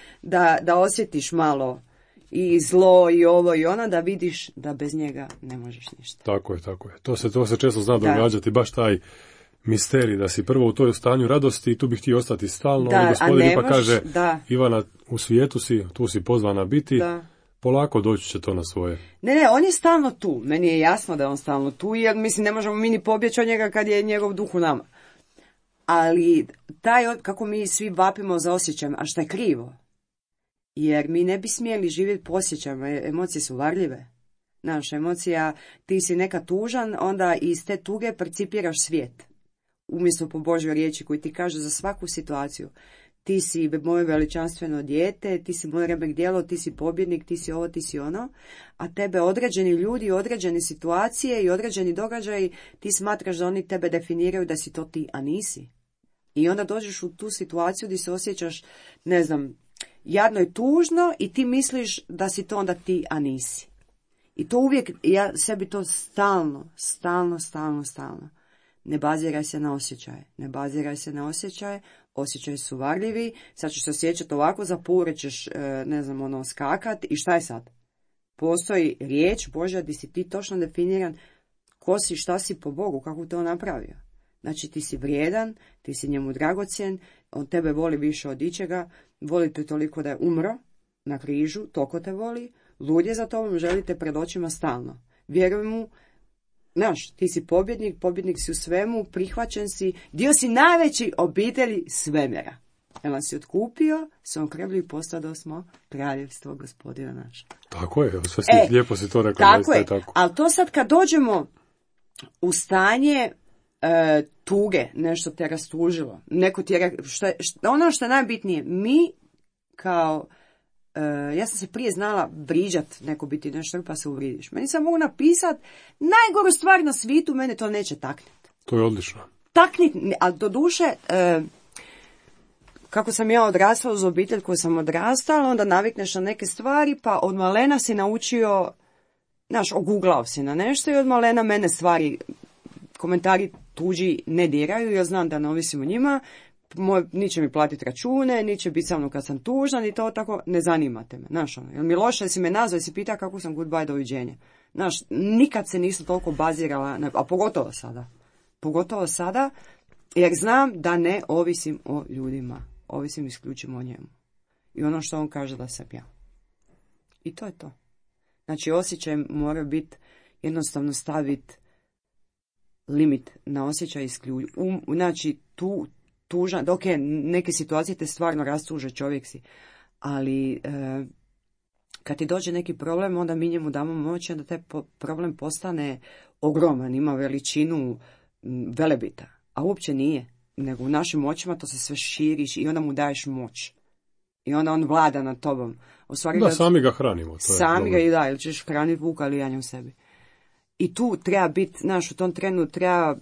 da osjetiš malo i zlo i ovo i ono, da vidiš da bez njega ne možeš ništa. Tako je. To se često zna događati, baš taj misterij, da si prvo u toj stanju radosti i tu bi htio ostati stalno. Da, gospodin pa kaže, Ivana, u svijetu si, tu si pozvana biti, polako doći će to na svoje. Ne, on je stalno tu. Meni je jasno da je on stalno tu, jer mislim ne možemo mi ni pobjeći od njega kad je njegov duh u nama. Ali kako mi svi vapimo za osjećajem, a što je krivo? Jer mi ne bi smjeli živjeti po osjećajima, emocije su varljive. Naša emocija, ti si neka tužan, onda iz te tuge percipiraš svijet. Umjesto po Božjoj riječi koji ti kaže za svaku situaciju. Ti si moje veličanstveno dijete, ti si moje remek djelo, ti si pobjednik, ti si ovo, ti si ono. A tebe određeni ljudi, određene situacije i određeni događaji, ti smatraš da oni tebe definiraju da si to ti, a nisi. I onda dođeš u tu situaciju gdje se osjećaš, ne znam, jadno i tužno i ti misliš da si to onda ti, a nisi. I to uvijek, ja sebi to stalno. Ne baziraj se na osjećaje, osjećaji su varljivi, sad ćeš se osjećati ovako, zapuret ćeš, skakat i šta je sad? Postoji riječ Božja gdje si ti točno definiran ko si, šta si po Bogu, kako to napravio. Znači ti si vrijedan, ti si njemu dragocjen, on tebe voli više od ičega, voli te toliko da je umro na križu, toliko te voli, lud je za tobom, želi te pred očima stalno. Vjeruj mu, ti si pobjednik si u svemu, prihvaćen si, dio si najveći obitelji svemira. Jer nas si otkupio, svom krvlju i postao smo kraljevstvo Gospodina naša. Tako je, sve si lijepo si to rekla. Tako je, ali to sad kad dođemo u stanje tuge, nešto te rastužilo, neko ti je, ono što je najbitnije, mi kao, ja sam se prije znala vriđat, neko biti nešto pa se uvridiš. Meni sam mogu napisat najgoru stvar na svijetu, mene to neće taknit. To je odlično. Taknit, ali do duše, kako sam ja odrastala uz obitelj koju sam odrastala, onda navikneš na neke stvari, pa od malena si naučio, oguglao si na nešto i od malena mene stvari, komentari tuđi ne diraju, ja znam da ne ovisim o njima, niće mi platiti račune, niće biti sa mnom kad sam tužna, ni to tako, ne zanimate me, jel mi loše da si me nazvao i si pita kako sam goodbye, doviđenja. Nikad se nisam toliko bazirala, a pogotovo sada, jer znam da ne ovisim o ljudima, ovisim isključivo o njemu. I ono što on kaže da sam ja. I to je to. Znači, osjećaj mora biti, jednostavno staviti limit na osjećaj isključivo. Znači, tužan, ok, neke situacije te stvarno rastuže, čovjek si, ali kad ti dođe neki problem, onda mi njemu damo moć, onda taj problem postane ogroman, ima veličinu Velebita, a uopće nije, nego u našim očima to se sve širiš i onda mu daješ moć. I onda on vlada nad tobom. Sami ga hranimo. Sami ga i da, ili ćeš hraniti vuka ili janje u sebi. I tu treba biti, znaš, u tom trenu treba,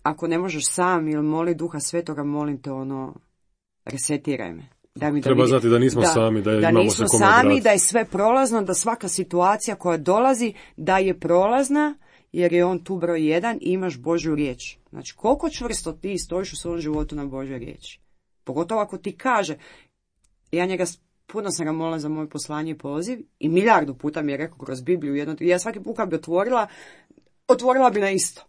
ako ne možeš sam ili moli Duha Svetoga, molim te resetiraj me. Treba znati da nismo sami, da imamo se kome obratiti. Da je sve prolazno, da svaka situacija koja dolazi, da je prolazna, jer je on tu broj jedan i imaš Božju riječ. Znači, koliko čvrsto ti stojiš u svom životu na Božjoj riječi. Pogotovo ako ti kaže, ja njega puno sam ga molila za moj poslanje i poziv i milijardu puta mi je rekao kroz Bibliju, ja svaki put kad bi otvorila bi na isto.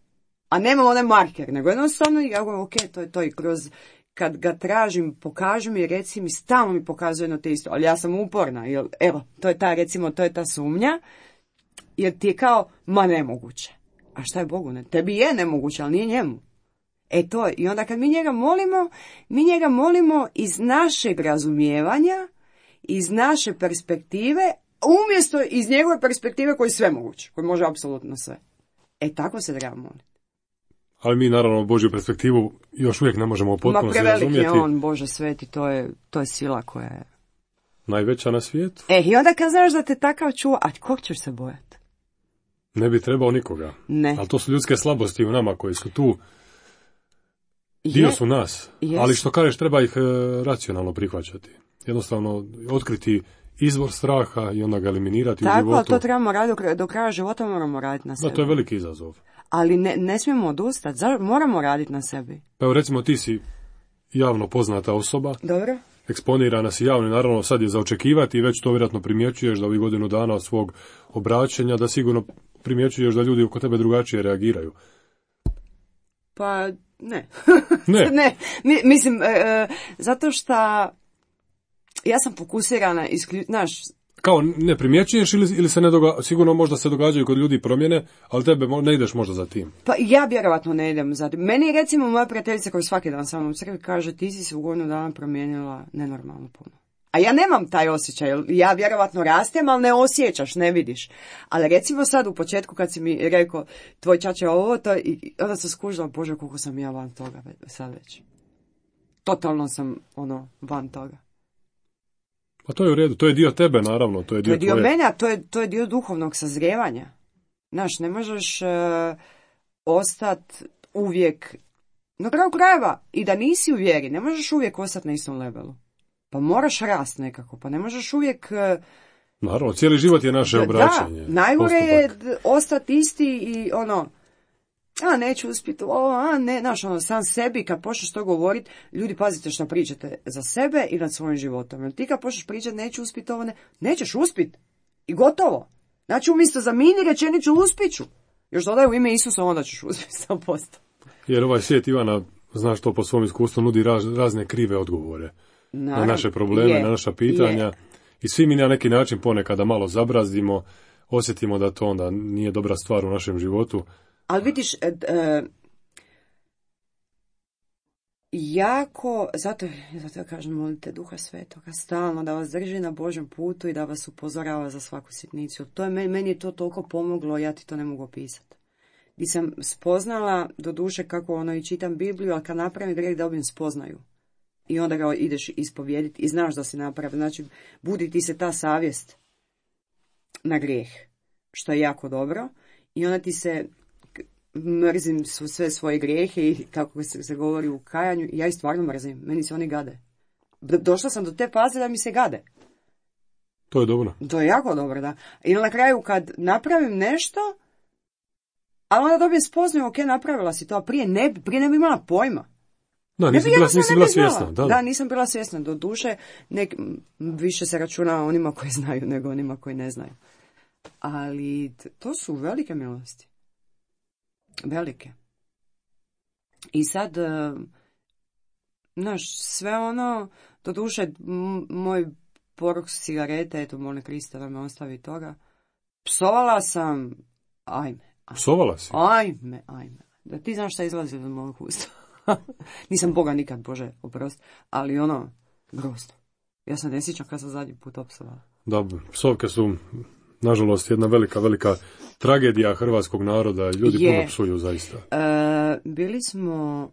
A nemam onaj marker, nego jednostavno ja govorim, ok, to je to i kroz, kad ga tražim, pokaži mi, reci mi, stalno mi pokazuje jedno te isto, ali ja sam uporna, jer, evo, to je ta sumnja, jer ti je kao, ma nemoguće. A šta je Bogu? Tebi je nemoguće, ali nije njemu. To je. I onda kad mi njega molimo iz našeg razumijevanja, iz naše perspektive, umjesto iz njegove perspektive koji je sve moguće, koji može apsolutno sve. Tako se treba moliti. Ali mi naravno Božju perspektivu još uvijek ne možemo potpuno razumjeti. Ma prevelik je on, Bože sveti, to je sila koja je najveća na svijetu. I onda kad znaš da te takav čuva, a kog ćeš se bojati? Ne bi trebao nikoga. Ne. Ali to su ljudske slabosti u nama koji su tu. Dio su nas. Ali što kažeš, treba ih racionalno prihvaćati. Jednostavno otkriti izvor straha i onda ga eliminirati u životu. Tako, to trebamo raditi do kraja života, moramo raditi na sebi. Da, to je veliki izazov. Ali ne smijemo odustati, moramo raditi na sebi. Pa evo recimo ti si javno poznata osoba. Dobro. Eksponirana si javno, naravno sad je za očekivati i već to vjerojatno primjećuješ da ovih godinu dana od svog obraćanja, da sigurno primjećuješ da ljudi oko tebe drugačije reagiraju. Pa ne. Ne. Mislim, zato što ja sam fokusirana, znaš... Kao ne primjećuješ ili se ne događa, sigurno možda se događaju kod ljudi promjene, ali tebe ne ideš možda za tim. Pa ja vjerovatno ne idem za tim. Meni je recimo moja prijateljica koja svaki dan sa mnom u crkvi kaže ti si se u godinu dana promijenila nenormalno puno. A ja nemam taj osjećaj, ja vjerovatno rastem, ali ne osjećaš, ne vidiš. Ali recimo sad u početku kad si mi rekao tvoj čače ovo, onda sam skužila, Bože koliko sam ja van toga sad već. Totalno sam van toga. Pa to je u redu, to je dio tebe naravno, to je dio mene, a to je dio duhovnog sazrijevanja. Znaš, ne možeš ostati uvijek, na kraju krajeva, i da nisi u vjeri, ne možeš uvijek ostati na istom levelu. Pa moraš rast nekako, pa ne možeš uvijek... Naravno, cijeli život je naše obraćanje. Da, najgore je ostati isti i neću uspjeti, ne, znaš, sam sebi, kad počneš to govoriti, ljudi pazite što pričate za sebe i nad svojim životom. Jer ti kad počneš pričati, neću uspjeti ovo, nećeš uspjeti. I gotovo. Znači, umjesto zamini rečenicu, uspjeću. Još dodaj u ime Isusa, onda ćeš uspjeti 100%. Jer ovaj svijet, Ivana, znaš to po svom iskustvu, nudi razne krive odgovore. Na naše probleme, na naša pitanja. I svi mi na neki način ponekada malo zabrazdimo, osjetimo da to onda nije dobra stvar u našem životu. Ali vidiš, zato ja kažem, molite Duha Svetoga stalno da vas drži na Božjem putu i da vas upozorava za svaku sitnicu. Meni je to toliko pomoglo, ja ti to ne mogu opisati. Gdje sam spoznala, do duše kako i čitam Bibliju, ali kad napravim grijeh dobijem spoznaju. I onda ga ideš ispovijediti i znaš da si napravio. Znači, budi ti se ta savjest na grijeh, što je jako dobro. I onda ti se... mrzim sve svoje grijehe i kako se govori u kajanju, ja ih stvarno mrzim, meni se oni gade. Došla sam do te faze da mi se gade. To je dobro. To je jako dobro, da. I na kraju kad napravim nešto, ali onda dobijem spoznaju, ok, napravila si to, a prije ne bi imala pojma. Da, nisi bila svjesna. Da, nisam bila svjesna. Do duše, više se računa onima koji znaju nego onima koji ne znaju. Ali to su velike milosti. Velike. I sad, sve do duše, moj poruk cigarete, eto, molim Krista da me ostavi toga, psovala sam, Psovala si? Ajme. Da ti znaš šta izlazi od mojeg usta. Nisam Boga nikad, Bože, oprosti, ali grozno. Ja sam ne sjećam kad sam zadnji put opsovala. Da, psovke su... Nažalost, jedna velika tragedija hrvatskog naroda. Ljudi puno psuju, zaista. Bili smo...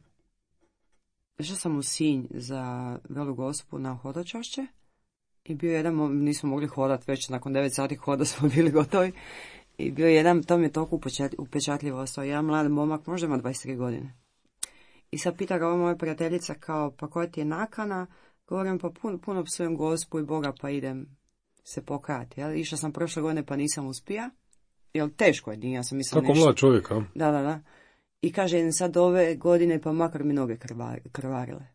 Išla sam u Sinj za Velu Gospu na hodočašće. I bio nismo mogli hodati, već nakon 9 sati hoda smo bili gotovi. I bio jedan, to mi je toliko upečatljivo ostao, jedan mlad momak, možda ima 23 godine. I sad pita ga ova moja prijateljica kao, pa koja ti je nakana? Govorim, pa puno psujem Gospu i Boga, pa idem se pokajati. Ja? Išla sam prošle godine, pa nisam uspija. Jel, teško je, nije, ja sam mislila nešto. Tako mlad čovjek, a? Da. I kaže, sad ove godine, pa makar mi noge krvarile.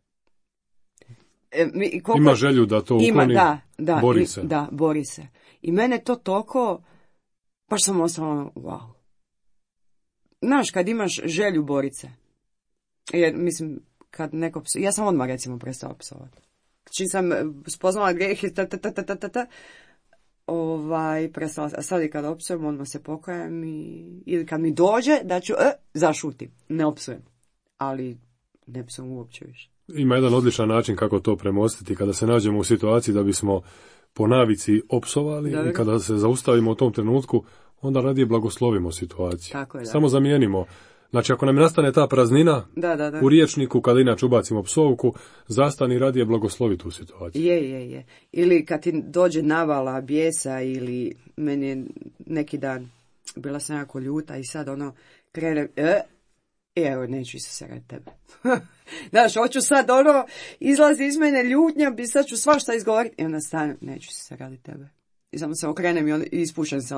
Ima želju da to ukloni, da, bori se. Da, bori se. I mene to toliko, baš sam ostala, wow. Znaš, kad imaš želju borit se, jer, mislim, kad neko ja sam odmah, recimo, prestala psovati. Čim sam spoznala grijeh i prestala, a sad i kad opsujem, odmah se pokajem ili kad mi dođe, da ću, zašutim, ne opsujem, ali ne psujem uopće više. Ima jedan odličan način kako to premostiti, kada se nađemo u situaciji da bismo po navici opsovali. Dobre. I kada se zaustavimo u tom trenutku, onda radije blagoslovimo situaciju. Tako je, da. Samo zamijenimo. Znači, ako nam nastane ta praznina u riječniku, kada inače ubacimo psovku, zastani radije blagoslovi tu situaciju. Je. Ili kad ti dođe navala bijesa, ili meni je neki dan bila sam jako ljuta i sad krene, evo, neću se radi tebe. Znaš, hoću sad izlazi iz mene ljutnja, bi sad ću svašta izgovoriti. I onda stanem, neću se radi tebe. I samo se okrenem i ispušam se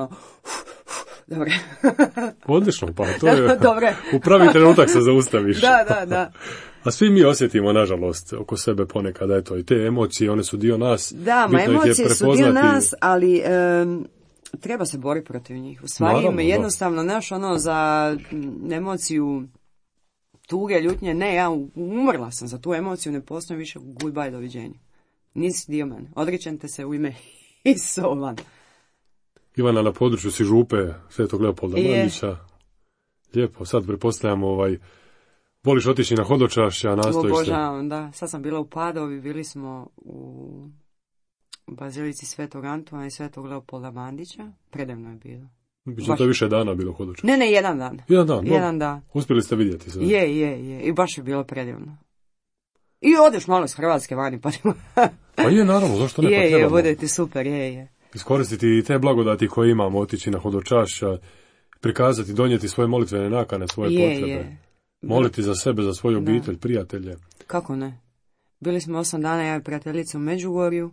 Dobre. Odlično, pa to je u pravi trenutak se zaustaviš. Da. A svi mi osjetimo, nažalost, oko sebe ponekad, eto, i te emocije, one su dio nas. Da, emocije su dio nas, ali treba se boriti protiv njih. U stvari, jednostavno, za emociju tuge, ljutnje, ne, ja umrla sam za tu emociju, ne postoji više, goodbye, doviđenja. Nisi dio mene, odričem te se u ime Isova. Ivana, na području si župe Svetog Leopolda Mandića. Lijepo, sad prepostavljamo voliš otići na hodočašća, nastojiš se. Obožavam, da. Sad sam bila u Padovi, bili smo u Bazilici Svetog Antuna i Svetog Leopolda Mandića. Predivno je bilo. Biće to više dana bilo hodočašća? Ne, jedan dan. Jedan dan. Uspjeli ste vidjeti sve? Je. I baš je bilo predivno. I odeš malo iz Hrvatske vani, pa... Pa je, naravno, zašto ne, pa trebamo. Je, bude ti super, je. Iskoristiti i te blagodati koje imamo, otići na hodočašća, prikazati, donijeti svoje molitvene nakane, svoje potrebe. Moliti za sebe, za svoju obitelj, prijatelje. Kako ne? Bili smo 8 dana, ja i prijateljica u Međugorju,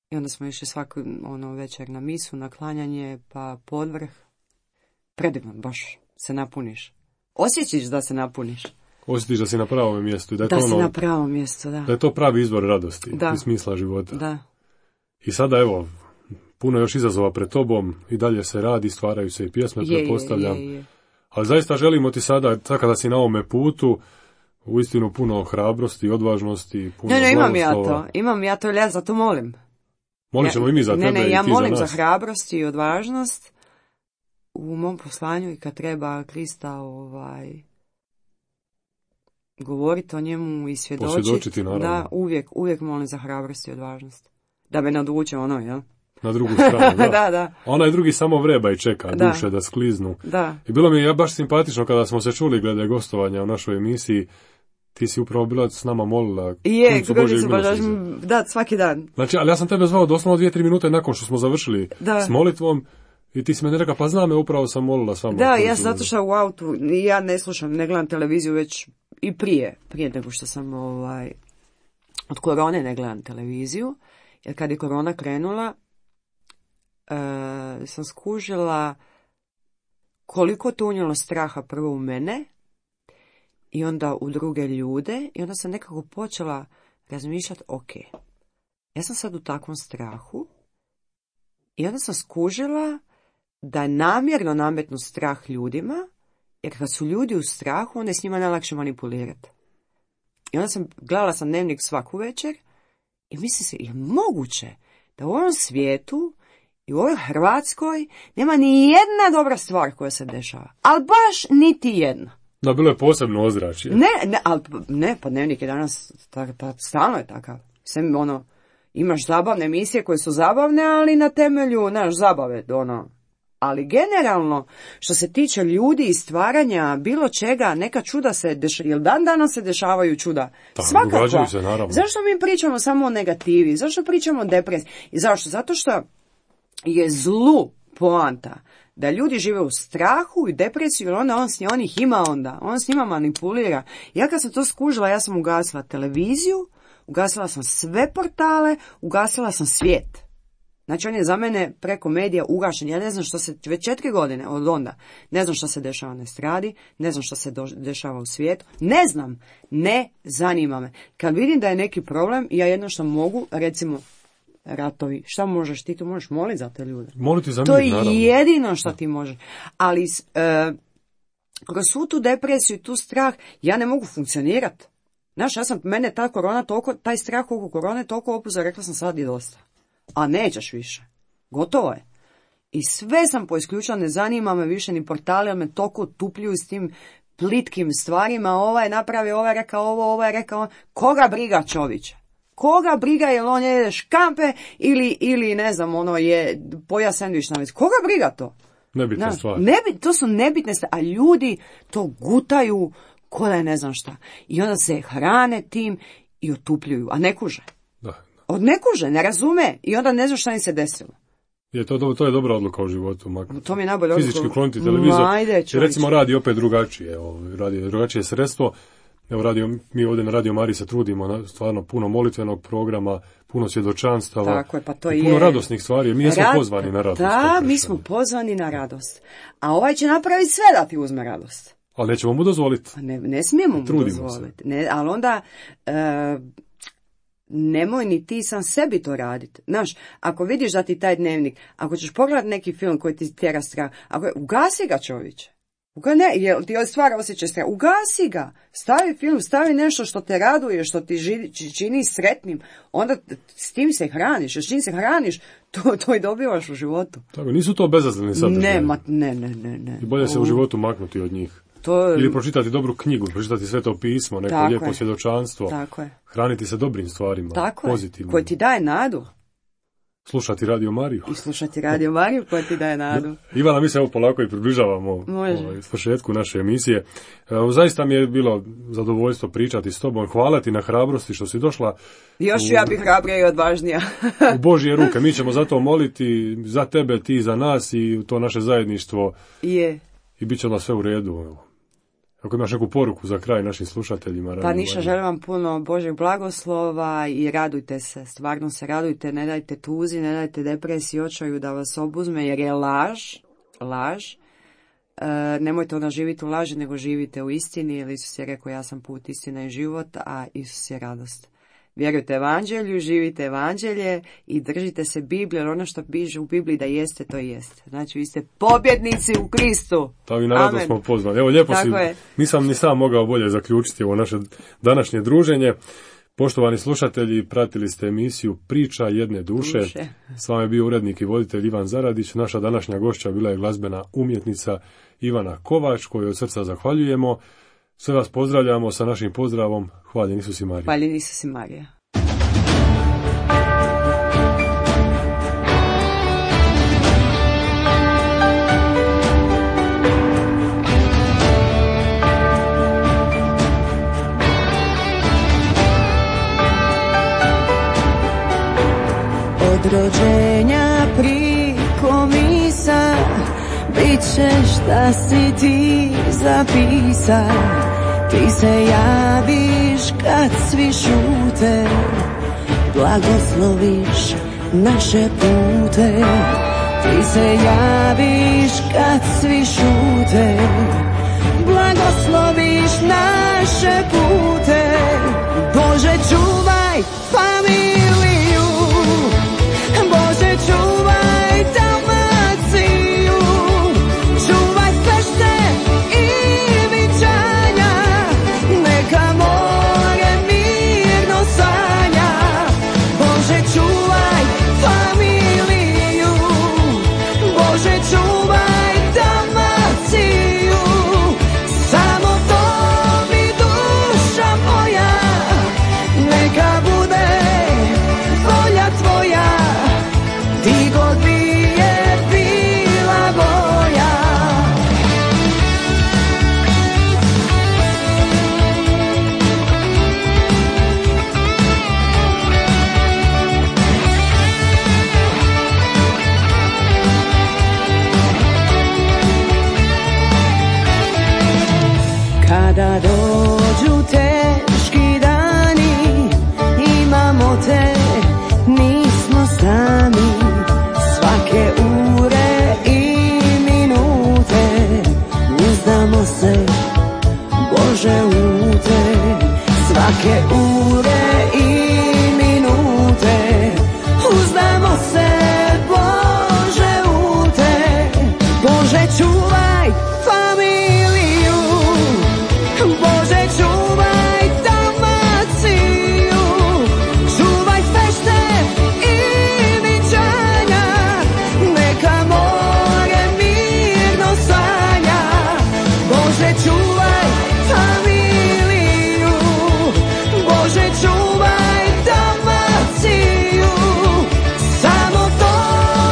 i onda smo išli svaku večer na misu, na klanjanje, pa podvrh. Predivno, baš se napuniš. Osjećaš da se napuniš. Osjetiš da si na pravom mjestu. Da si na pravom mjestu, da. Da je to pravi izvor radosti i smisla života. Da. I sada, evo, puno još izazova pred tobom, i dalje se radi, stvaraju se i pjesme, pretpostavljam. Je. Ali zaista želimo ti sada, kada si na ovome putu, uistinu puno hrabrosti, odvažnosti, puno blagoslova. Imam ja to, ja za to molim. Molit ćemo i mi za tebe i ti za nas. Ja molim za hrabrost i odvažnost u mom poslanju, i kad treba Krista govoriti o njemu i posvjedočiti, naravno. Da, uvijek molim za hrabrost i odvažnost. Da me naduče jel? Na drugu stranu, da. Da. Onaj drugi samo vreba i čeka duše da skliznu. Da. I bilo mi je baš simpatično kada smo se čuli glede gostovanja u našoj emisiji. Ti si upravo bila s nama molila. Da, svaki dan. Znači, ali ja sam tebe zvao doslovno 2-3 minute nakon što smo završili s molitvom, i ti si me rekla, pa znam me, upravo sam molila s vama. Da, ja sam zato što u autu, ja ne slušam, ne gledam televiziju već i prije nego što sam od korone ne gledam televiziju, jer kad je korona krenula, sam skužila koliko to unijelo straha prvo u mene i onda u druge ljude, i onda sam nekako počela razmišljati, ok, ja sam sad u takvom strahu, i onda sam skužila da je namjerno nametnu strah ljudima, jer kad su ljudi u strahu, onda je s njima najlakše manipulirati. I onda gledala sam dnevnik svaku večer i mislim se, je moguće da u ovom svijetu i u ovoj Hrvatskoj nema ni jedna dobra stvar koja se dešava. Ali baš niti jedna. Da, bilo je posebno ozračje. Pa dnevnik je danas, stalno je takav. Imaš zabavne emisije koje su zabavne, ali na temelju, zabave, Ali generalno, što se tiče ljudi i stvaranja bilo čega, neka čuda se dešavaju, jer danas se dešavaju čuda. Svakako. Se, naravno. Zašto mi pričamo samo o negativi? Zašto pričamo o depresiji? I zašto? Zato što je zlu poanta da ljudi žive u strahu i depresiju, jer onda on ih ima onda. On s njima manipulira. Ja kad sam to skužila, ja sam ugasila televiziju, ugasila sam sve portale, ugasila sam svijet. Znači on je za mene preko medija ugašen. Ja ne znam što se, već 4 godine od onda, ne znam što se dešava na estradi, ne znam što se dešava u svijetu, ne zanima me. Kad vidim da je neki problem, ja jedno što mogu, recimo, ratovi, šta možeš ti? Tu možeš moliti za te ljude. Moliti za mir, to je naravno. jedino što ti možeš. Ali kroz svu tu depresiju i tu strah, ja ne mogu funkcionirati. Znaš, mene ta korona toliko, taj strah oko korone toliko opuzao, rekla sam sad je dosta. A nećeš više. Gotovo je. I sve sam poisključila, ne zanima me više ni portali, ali me toliko tupljuju s tim plitkim stvarima, ovaj je napravio, ovaj je rekao ovo, ovaj je rekao ovo. Koga briga čovječe? Koga briga jel on jede škampe ili ne znam, ono je poja sendvič na već. Koga briga to? Nebitne stvari. To su nebitne stvari, a ljudi to gutaju ko da je ne znam šta. I onda se hrane tim i otupljuju, a ne kuže. Od ne kuže, ne razume i onda ne zna šta im se desilo. To je dobra odluka u životu. To mi je najbolja odluka. Fizički kloniti televizor. Recimo radi opet drugačije. Radi drugačije sredstvo. Evo mi ovdje na Radio Mariji se trudimo stvarno puno molitvenog programa, puno svjedočanstava. Tako je, pa to puno radosnih stvari. Mi smo pozvani na radost. Da, mi smo pozvani na radost. A ovaj će napraviti sve da ti uzme radost. Ali nećemo mu dozvoliti. Ne smijemo mu dozvoliti. Ali onda... nemoj ni ti sam sebi to raditi. Znaš, ako vidiš da ti taj dnevnik, ako ćeš pogledati neki film koji ti tjera strah, ugasi ga čovječe. Ti stvara osjećaj straha. Ugasi ga. Stavi film, stavi nešto što te raduje, što ti čini sretnim. Onda s tim se hraniš. S čim se hraniš, to i dobivaš u životu. Tako, nisu to bezazleni sadržaji. Ne. I bolje se u životu maknuti od njih. Ili pročitati dobru knjigu, pročitati Sveto pismo, neko lijepo svjedočanstvo. Tako je. Hraniti se dobrim stvarima, pozitivnim. Koje ti daje nadu. Slušati Radio Mariju. I slušati Radio Mariju koja ti daje nadu. Ivana, mi se evo polako i približavamo svršetku naše emisije. Zaista mi je bilo zadovoljstvo pričati s tobom. Hvala ti na hrabrosti što si došla. Još ja bih hrabrija i odvažnija. U Božje ruke. Mi ćemo zato moliti za tebe, ti za nas i to naše zajedništvo. Je. I bit će onda sve u redu. Ako imaš neku poruku za kraj našim slušateljima. Pa ništa, želim vam puno Božeg blagoslova i radujte se, stvarno se radujte, ne dajte tuzi, ne dajte depresiji, očaju da vas obuzme jer je laž. Nemojte onda živjeti u laži, nego živite u istini, jer Isus je rekao ja sam put, istina i život, a Isus je radost. Vjerujte evanđelju, živite evanđelje i držite se Biblije, jer ono što piše u Bibliji da jeste, to i jeste. Znači, vi ste pobjednici u Kristu. Tako i naravno smo pozvani. Evo, lijepo si, nisam ni sam mogao bolje zaključiti ovo naše današnje druženje. Poštovani slušatelji, pratili ste emisiju Priča jedne duše. S vama je bio urednik i voditelj Ivan Zaradić. Naša današnja gošća bila je glazbena umjetnica Ivana Kovač, koju od srca zahvaljujemo. Sve vas pozdravljamo sa našim pozdravom. Hvaljen Isus i Marija. Hvaljen Isus i Marija. Od rođenja priko misa bit ćeš da si ti zapisa. Ti se javiš kad svi šute, blagosloviš naše pute. Ti se javiš kad svi šute, blagosloviš naše pute. Bože, čuvaj familiju, Bože, čuvaj Dalmaciju, čuvaj Pešte i Vičanja, neka more mirno sanja. Bože, čuvaj familiju, Bože, čuvaj Dalmaciju, samo to mi duša moja, neka bude uzdamo se, Bože, u te, svake ure i minute. Uzdamo se, Bože, u te, Bože, čuvaj familiju, Bože, čuvaj Dalmaciju, čuvaj fešte i viđanja, neka more mirno sanja. Bože, čuvaj familiju, Bože, čuvaj Dalmaciju, samo to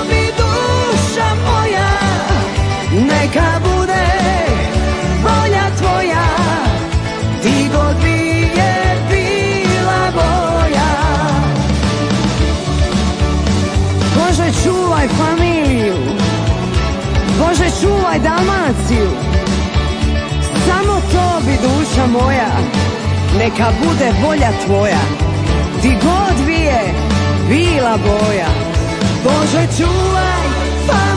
mi duša moja, neka bude volja tvoja, ti god bi je bila boja. Bože, čuvaj familiju, Bože, čuvaj Dalmaciju, samo to bi duša moja, neka bude volja tvoja, ti god bi je bila boja. Bože, čuvaj familiju,